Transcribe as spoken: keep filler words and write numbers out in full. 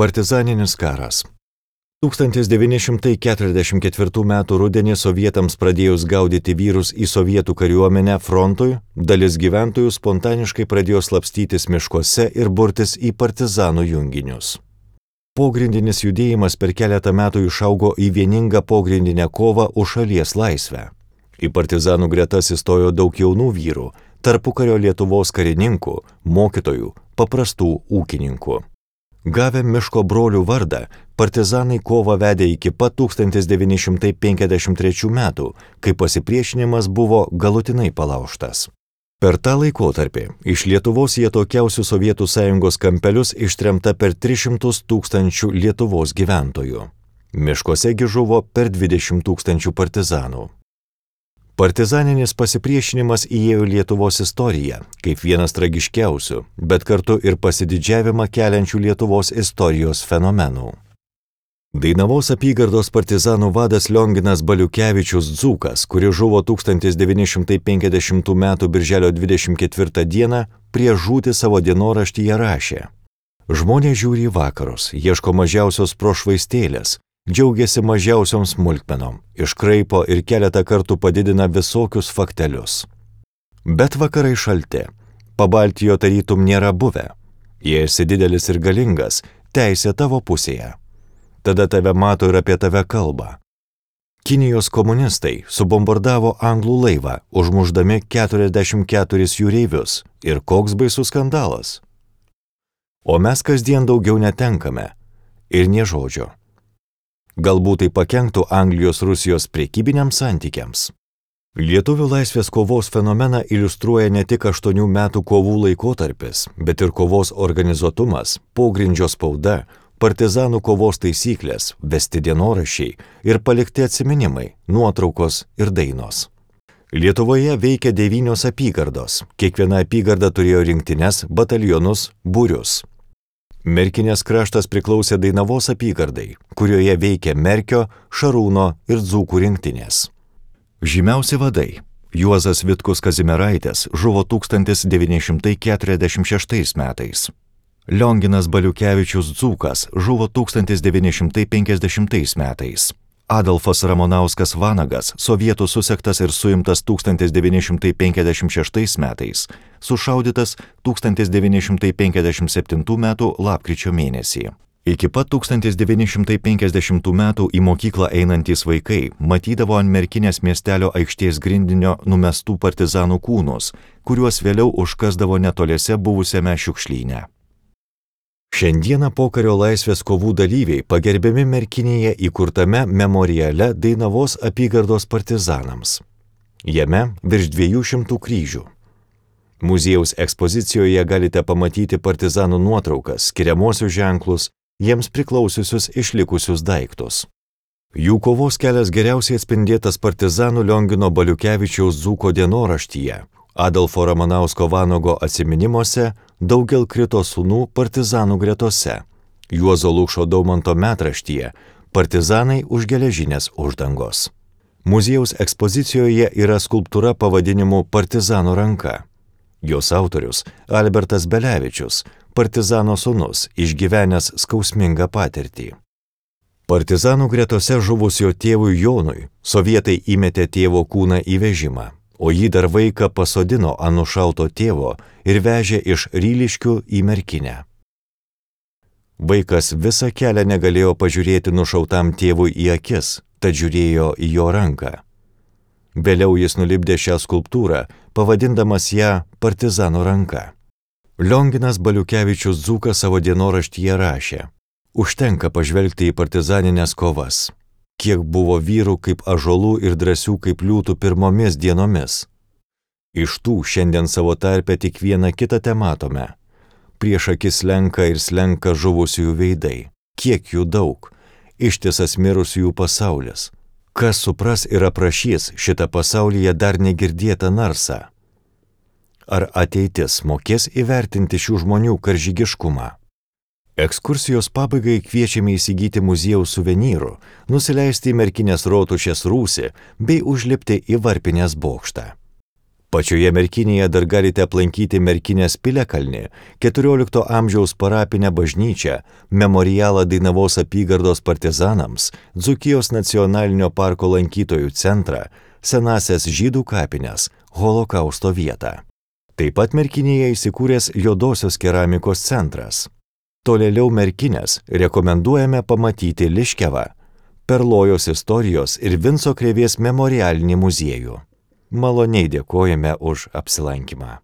Partizaninis karas. tūkstantis devyni šimtai keturiasdešimt ketvirtų metų rudenį sovietams pradėjus gaudyti vyrus į sovietų kariuomenę frontui, dalis gyventojų spontaniškai pradėjo slapstytis miškuose ir burtis į partizanų junginius. Pogrindinis judėjimas per keletą metų išaugo į vieningą pogrindinę kovą už šalies laisvę. Į partizanų gretas įstojo daug jaunų vyrų, tarpukario Lietuvos karininkų, mokytojų, paprastų ūkininkų. Gavę miško brolių vardą, partizanai kovą vedė iki pat tūkstantis devyni šimtai penkiasdešimt trečių metų, kai pasipriešinimas buvo galutinai palaužtas. Per tą laikotarpį iš Lietuvos į atokiausius Sovietų Sąjungos kampelius ištremta per tris šimtus tūkstančių Lietuvos gyventojų. Miškuose gi žuvo per dvidešimt tūkstančių partizanų. Partizaninis pasipriešinimas įėjo Lietuvos istoriją kaip vienas tragiškiausių, bet kartu ir pasididžiavimą keliančių Lietuvos istorijos fenomenų. Dainavos apygardos partizanų vadas Lionginas Baliukevičius Dzūkas, kuris žuvo tūkstantis devyni šimtai penkiasdešimtų metų birželio dvidešimt ketvirtą dieną, prieš žūtį savo dienoraštyje rašė: Žmonės žiūri į vakarus, ieško mažiausios prošvaistėlės, džiaugiasi mažiausiom smulkmenom, iškraipo ir keletą kartų padidina visokius faktelius. Bet vakarai šalti, Pabaltijo tarytum nėra buvę. Jei esi didelis ir galingas, teisė tavo pusėje. Tada tave mato ir apie tave kalba. Kinijos komunistai subombardavo anglų laivą, užmušdami keturiasdešimt keturis jūreivius. Ir koks baisus skandalas. O mes kasdien daugiau netenkame. Ir nė žodžio. Galbūt tai pakenktų Anglijos-Rusijos prekybiniams santykiams. Lietuvių laisvės kovos fenomeną iliustruoja ne tik aštuonių metų kovų laikotarpis, bet ir kovos organizuotumas, pogrindžio spauda, partizanų kovos taisyklės, vesti dienoraščiai ir palikti atsiminimai, nuotraukos ir dainos. Lietuvoje veikia devynios apygardos, kiekviena apygarda turėjo rinktines, batalionus, būrius. Merkinės kraštas priklausė Dainavos apygardai, kurioje veikė Merkio, Šarūno ir Dzūkų rinktinės. Žymiausi vadai Juozas Vitkus Kazimieraitis žuvo tūkstantis devyni šimtai keturiasdešimt šeštais metais. Lionginas Baliukevičius Dzūkas žuvo tūkstantis devyni šimtai penkiasdešimtais metais. Adolfas Ramonauskas Vanagas, sovietų susektas ir suimtas tūkstantis devyni šimtai penkiasdešimt šeštais metais, sušaudytas tūkstantis devyni šimtai penkiasdešimt septintų metų lapkričio mėnesį. Iki pat tūkstantis devyni šimtai penkiasdešimtų metų į mokyklą einantys vaikai matydavo ant Merkinės miestelio aikštės grindinio numestų partizanų kūnus, kuriuos vėliau užkasdavo netoliese buvusiame šiukšlyne. Šiandieną pokario laisvės kovų dalyviai pagerbiami Merkinėje įkurtame memoriale Dainavos apygardos partizanams. Jame virš dviejų šimtų kryžių. Muziejaus ekspozicijoje galite pamatyti partizanų nuotraukas, skiriamuosius ženklus, jiems priklausiusius išlikusius daiktus. Jų kovos kelias geriausiai atspindėtas partizanų Liongino Baliukevičiaus Dzūko dienoraštyje, Adolfo Ramanausko Vanago atsiminimuose, Daugel krito sūnų partizanų gretose, Juozo Lukšo Daumanto metraštyje, Partizanai už geležinės uždangos. Muziejaus ekspozicijoje yra skulptūra pavadinimu Partizano ranka. Jos autorius Albertas Belevičius, partizano sūnus, išgyvenęs skausmingą patirtį. Partizanų gretose žuvusio tėvui Jonui sovietai įmetė tėvo kūną į vežimą, o jį dar vaiką pasodino ant nušauto tėvo ir vežė iš Ryliškių į Merkinę. Vaikas visą kelią negalėjo pažiūrėti nušautam tėvui į akis, tad žiūrėjo į jo ranką. Vėliau jis nulipdė šią skulptūrą, pavadindamas ją Partizano ranka. Lionginas Baliukevičius Dzūkas savo dienoraštyje rašė: Užtenka pažvelgti į partizaninės kovas. Kiek buvo vyrų kaip ąžuolų ir drąsių kaip liūtų pirmomis dienomis. Iš tų šiandien savo tarpe tik vieną kitą tematome. Prieš akis slenka ir slenka žuvusiųjų veidai. Kiek jų daug. Ištisas mirusiųjų pasaulis. Kas supras ir aprašys šitą pasaulyje dar negirdėtą narsą? Ar ateitis mokės įvertinti šių žmonių karžygiškumą? Ekskursijos pabaigai kviečiame įsigyti muziejaus suvenyrų, nusileisti į Merkinės rotušės rūsį bei užlipti į Varpinės bokštą. Pačioje Merkinėje dar galite aplankyti Merkinės piliakalnį, keturiolikto amžiaus parapinę bažnyčią, memorialą Dainavos apygardos partizanams, Dzūkijos nacionalinio parko lankytojų centrą, senąsias žydų kapines, holokausto vietą. Taip pat Merkinėje įsikūręs Juodosios keramikos centras. Tolėliau Merkinės rekomenduojame pamatyti Liškiavą, Perlojos istorijos ir Vinco Krėvės memorialinį muziejų. Maloniai dėkojame už apsilankymą.